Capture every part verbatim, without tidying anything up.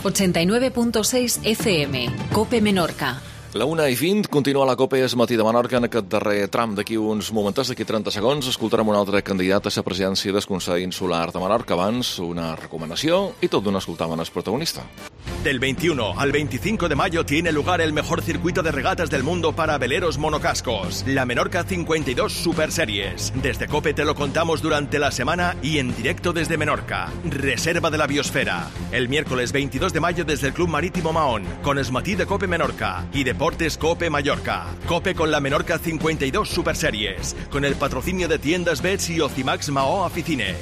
ochenta y nueve punto seis F M, COPE Menorca. La una i vint, continua la COPE és Matí de Menorca. En aquest darrer tram, d'aquí uns momentets, d'aquí trenta segons, escoltarem un altre candidat a la presidència del Consell Insular de Menorca. Abans, una recomanació i tot d'una escoltaven el protagonista. Del veintiuno al veinticinco de mayo tiene lugar el mejor circuito de regatas del mundo para veleros monocascos, la Menorca cincuenta y dos Super Series. Desde COPE te lo contamos durante la semana y en directo desde Menorca, Reserva de la Biosfera. El miércoles veintidós de mayo desde el Club Marítimo Mahón, con el Matí de COPE Menorca y Deportes COPE Mallorca. COPE con la Menorca cincuenta y dos Super Series, con el patrocinio de Tiendas Bets y Ocimax Mahó Aficine.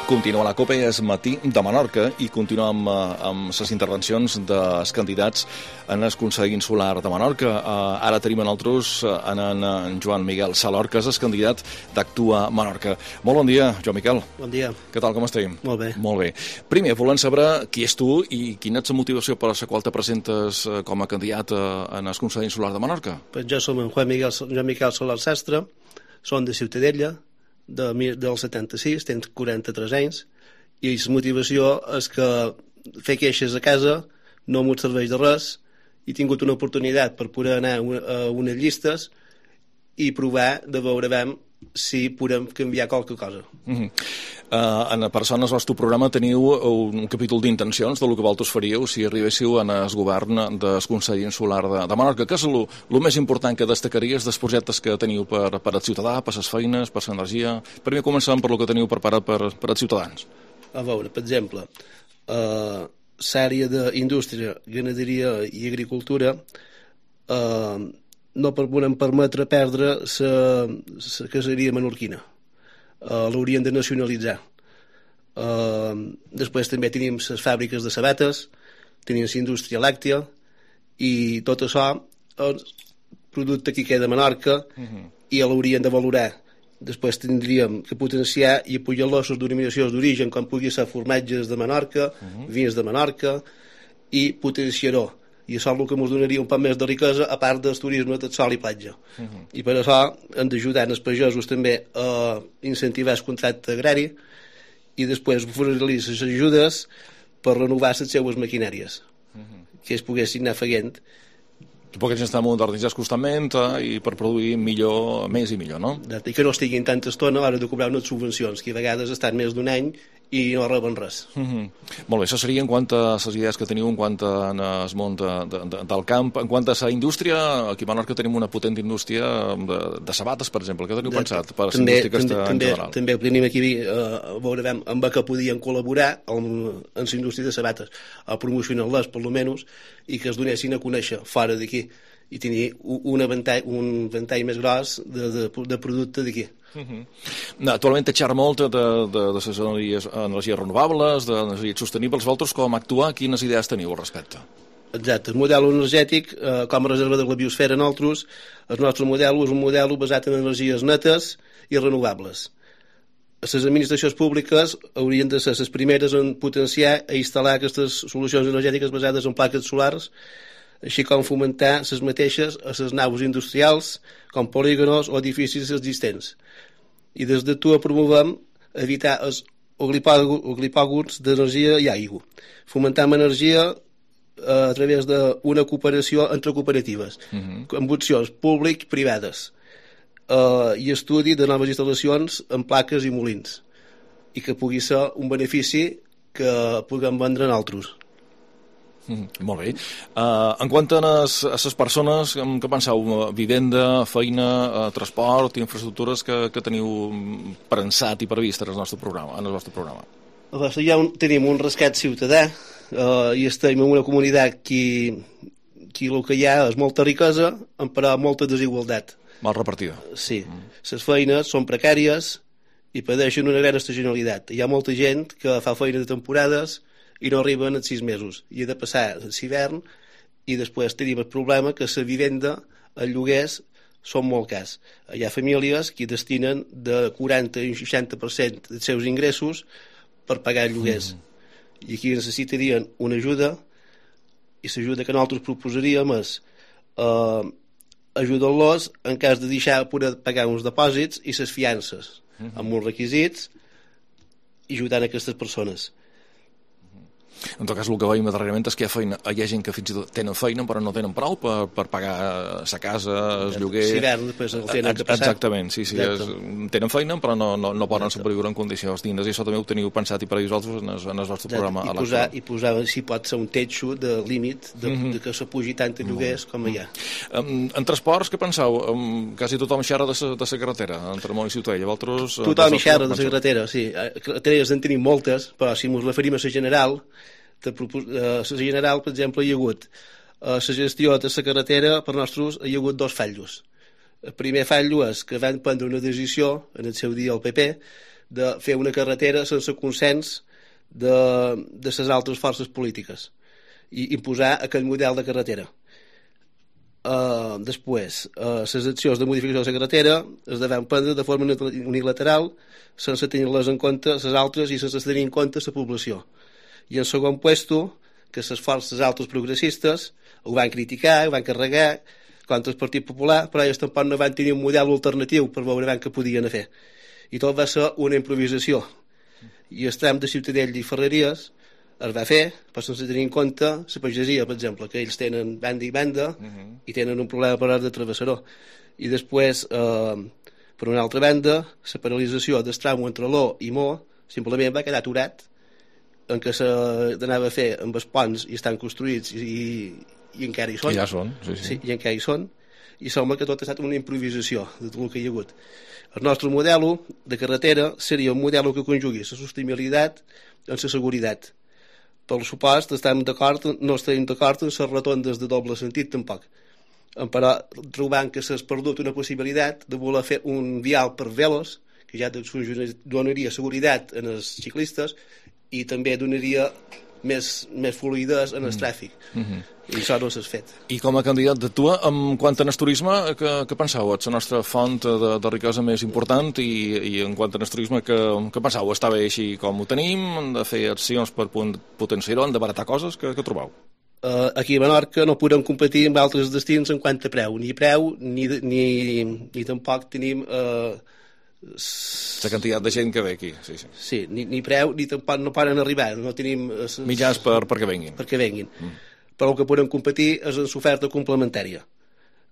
Continua la COPE, és Matí de Menorca i continua amb, amb les intervencions dels candidats en el Consell Insular de Menorca. Uh, ara tenim en altres en, en Joan Miguel Salor, que és el candidat d'Actua Menorca. Molt bon dia, Joan Miquel. Bon dia. Què tal, com estem? Molt bé. Molt bé. Primer, volem saber qui és tu i quina és la motivació per la qual te presentes com a candidat en el Consell Insular de Menorca. Pues jo som en Juan Miguel, Joan Miquel Salor Sastre, som de Ciutadella, de, del setanta-sis, tens quaranta-tres anys, i la motivació és que fer queixes a casa no m'ho serveix de res. He tingut una oportunitat per poder anar a unes llistes i provar de veure si podem canviar qualque cosa. Mm-hmm. Uh, en Persones, al vostre programa teniu un capítol d'intencions del que vosaltres faríeu si arribéssiu en el govern del Consell Insular de, de Menorca. Què és el més important que destacaries dels projectes que teniu per, per al ciutadà, per les feines, per l'energia? Primer començam per el que teniu preparat per, per als ciutadans. A veure, per exemple, uh, l'àrea d'indústria, ganaderia i agricultura uh, no podem permetre perdre la caseria menorquina. Uh, l'haurien de nacionalitzar. Uh, després també tenim les fàbriques de sabates, tenim la indústria làctia, i tot això és producte que queda a Menorca uh-huh. i l'haurien de valorar. Després tindríem que potenciar i apoyar les denominacions d'origen, com pugui ser formatges de Menorca, uh-huh. vins de Menorca, i potenciar-ho. I això és el que ens donaria un poc més de riquesa, a part del turisme de sol i platja. Uh-huh. I per això hem d'ajudar els pagesos també a incentivar el contracte agrari i després oferir les ajudes per renovar les seues maquinàries, uh-huh. que es poguessin anar feient. Suposo que ens estan modernitzant constantment eh, i per produir millor, més i millor, no? I que no estiguin tanta estona a l'hora de cobrar unes subvencions, que a vegades estan més d'un any i no reben res. Mm-hmm. Molt bé, això seria en quant a les idees que teniu en quant al món de, de, de, del camp. En quant a la indústria, aquí a Menorca tenim una potent indústria de, de sabates, per exemple. Què teniu de, pensat per la indústria aquesta en també, general? També tenim aquí eh, a veure amb què podien col·laborar en, en la indústria de sabates, a promocionar-les, per almenys, i que es donessin a conèixer fora d'aquí i tenir un ventall, un ventall més gros de, de, de producte d'aquí. Uh-huh. Actualment te xerra molt de, de, de les energies, energies renovables, d'energies sostenibles. Vosaltres, com actuar, quines idees teniu al respecte? Exacte. El model energètic, eh, com a reserva de la biosfera, nosaltres, el nostre model és un model basat en energies netes i renovables. Les administracions públiques haurien de ser les primeres en potenciar i instal·lar aquestes solucions energètiques basades en plaques solars, així com fomentar les mateixes a les naus industrials, com polígonos o edificis existents. I des de tu promovem evitar els oligopògols d'energia i aigua. Fomentem energia a través d'una cooperació entre cooperatives, uh-huh. amb opcions públic-privades, uh, i estudi de noves instal·lacions en plaques i molins, i que pugui ser un benefici que puguem vendre en altres. Mm, molt bé. Uh, en quant a les, a les persones, què penseu? Vivenda, feina, uh, transport, infraestructures que, que teniu pensat i previst en el nostre programa? En el vostre programa? Ja un, tenim un rescat ciutadà uh, i estem en una comunitat que, que el que hi ha és molta riquesa, però molta desigualtat. Mal repartida. Sí. Mm. Les feines són precàries i pateixen una gran estacionalitat. Hi ha molta gent que fa feina de temporades i no arriben als sis mesos. I ha de passar l'hivern i després tenim el problema que la vivenda, els lloguers, són molt cars. Hi ha famílies que destinen de quaranta i un seixanta per cent dels seus ingressos per pagar lloguers. Mm. I aquí necessitarien una ajuda, i l'ajuda que nosaltres proposaríem és eh, ajudar-los en cas de deixar poder pagar uns depòsits i les fiances, mm-hmm. amb uns requisits, i ajudant aquestes persones. En tot cas, el que veiem darrerament és que hi ha, feina, hi ha gent que fins i tot tenen feina però no tenen prou per, per pagar sa casa, el lloguer... Si hivern, després el tenen que passar. Exactament, sí, sí. És, tenen feina però no, no, no poden sobreviure en condicions dignes, i això també ho teniu pensat i per a vosaltres en el, en el vostre programa. I posar, I posar, si pot ser un techo de límit de, mm -hmm. de que se pugi tant de lloguers mm -hmm. com hi ha. En, en transports, què penseu? Um, quasi tothom xerra de la carretera, entre Mont i Ciutadella. Vosaltres, tothom hi xerra de la carretera, sí. Carreteres en tenim moltes, però si ens referim a la general, de la general, per exemple, hi ha hagut a la gestió de la carretera, per nosaltres hi ha hagut dos fallos. El primer fallo és que van prendre una decisió, en el seu dia el P P, de fer una carretera sense consens de, de les altres forces polítiques i imposar aquell model de carretera. Uh, després, uh, les accions de modificació de la carretera es deven prendre de forma unilateral, sense tenir-les en compte les altres i sense tenir en compte la població. I en segon puesto, que les forces altres progressistes ho van criticar, ho van carregar contra el Partit Popular, però ells tampoc no van tenir un model alternatiu per veure què podien fer. I tot va ser una improvisació. I el tram de Ciutadella i Ferreries es va fer, però sense tenir en compte la pagesia, per exemple, que ells tenen banda i banda uh -huh. i tenen un problema per de travessador. I després, eh, per una altra banda, la paralització del tram entre l'O i Mo simplement va quedar aturat en què s'anava a fer amb els ponts i estan construïts i, i, i encara hi són. I ja són, sí, sí. sí I encara hi són. I sembla que tot ha estat una improvisació de tot el que hi ha hagut. El nostre model de carretera seria un model que conjugui la sostenibilitat amb la seguretat. Per supost, estem d'acord, no estem d'acord en les rotondes de doble sentit tampoc. Però trobant que s'ha perdut una possibilitat de voler fer un vial per velos, que ja donaria seguretat als ciclistes i també donaria més, més fluïdesa en el tràfic. Mm -hmm. I això no s'ha fet. I com a candidat d'actua, en quant al turisme, què, què penseu? És la nostra font de, de riquesa més important i, i en quant al turisme, què, què penseu? Està bé així com ho tenim? Hem de fer accions per potenciar-ho? Hem de baratar coses? Què, què trobeu? Uh, aquí a Menorca no podem competir amb altres destins en quant a preu. Ni preu, ni, ni, ni tampoc tenim... Uh, la quantitat de gent que ve aquí, sí, sí. Sí, ni, ni preu, ni tampoc no poden arribar, no tenim... Es, mitjans per, perquè venguin. Perquè venguin. Mm. Però el que podem competir és en l'oferta complementària.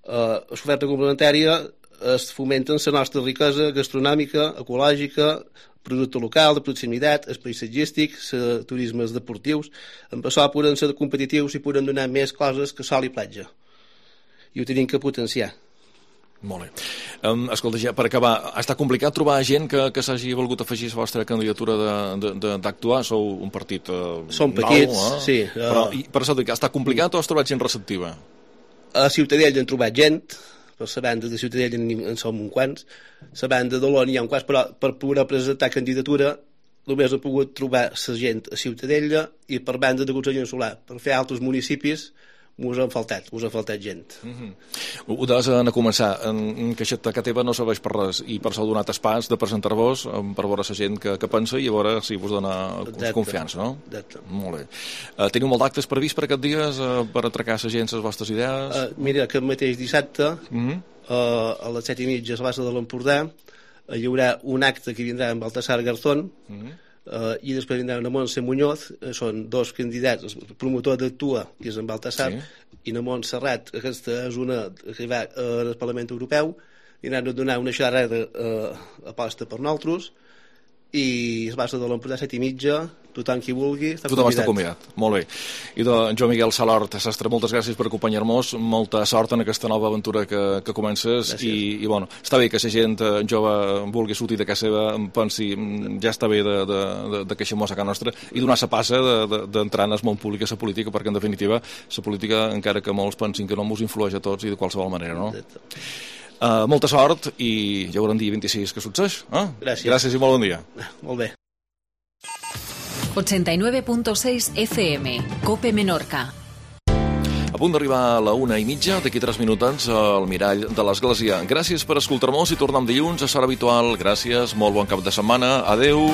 Uh, l'oferta complementària es fomenta la nostra riquesa gastronòmica, ecològica, producte local, de proximitat, el paisatgístic, els turismes deportius. Amb això podem ser competitius i podem donar més coses que sol i platja. I ho tenim que potenciar. Molt bé. Um, escolta, ja, per acabar, ha estat complicat trobar gent que, que s'hagi volgut afegir a la vostra candidatura d'actuar? Sou un partit uh, Som petits, nou, eh? sí. Uh... Però, i, per això dic, ha estat complicat o has trobat gent receptiva? A Ciutadella hem trobat gent, per la banda de Ciutadella en som uns quants, la banda de l'O n'hi ha un quants, però per poder presentar candidatura només he pogut trobar la gent a Ciutadella i per banda de Consell Insular. Per fer altres municipis us han faltat, us ha faltat gent. Mm -hmm. Ho deies a començar, en que aquesta teva no serveix per res i per això heu donat espais de presentar-vos per veure la gent que, que pensa i a veure si vos dona Exacte. confiança, no? Exacte. Molt bé. Uh, teniu molt d'actes previst per aquests dies uh, per atracar la gent les vostres idees? Uh, mira, aquest mateix dissabte mm -hmm. uh, a les set i mitja a la bassa de l'Empordà uh, hi haurà un acte que vindrà amb Baltasar Garzón mm -hmm. Uh, i després vindrà una Montse Muñoz, uh, són dos candidats, el promotor d'Actua, que és en Baltasar, sí. i na Montserrat, aquesta és una que va uh, al Parlament Europeu, i han de donar una xerrada uh, aposta per nosaltres, i es basa de l'Empordà set i mitja, tothom qui vulgui està tothom convidat. està convidat, molt bé. I doncs, Joan Miguel Salort, Sastre, moltes gràcies per acompanyar-nos, molta sort en aquesta nova aventura que, que comences i, i bueno, està bé que la gent jove vulgui sortir de casa seva, pensi ja està bé de, de, de, de queixar-nos a casa nostra i donar la passa d'entrar de, de, en el món públic a la política, perquè en definitiva la política, encara que molts pensin que no ens influeix a tots i de qualsevol manera, no? Uh, molta sort i ja veurem dia vint-i-sis que succeeix. Eh? Gràcies. Gràcies i molt bon dia. Molt bé. ochenta y nueve punto seis F M, Cope Menorca. A punt d'arribar a la una i mitja, d'aquí tres minutets al Mirall de l'Església. Gràcies per escoltar-nos i tornem dilluns a l'hora habitual. Gràcies, molt bon cap de setmana. Adeu.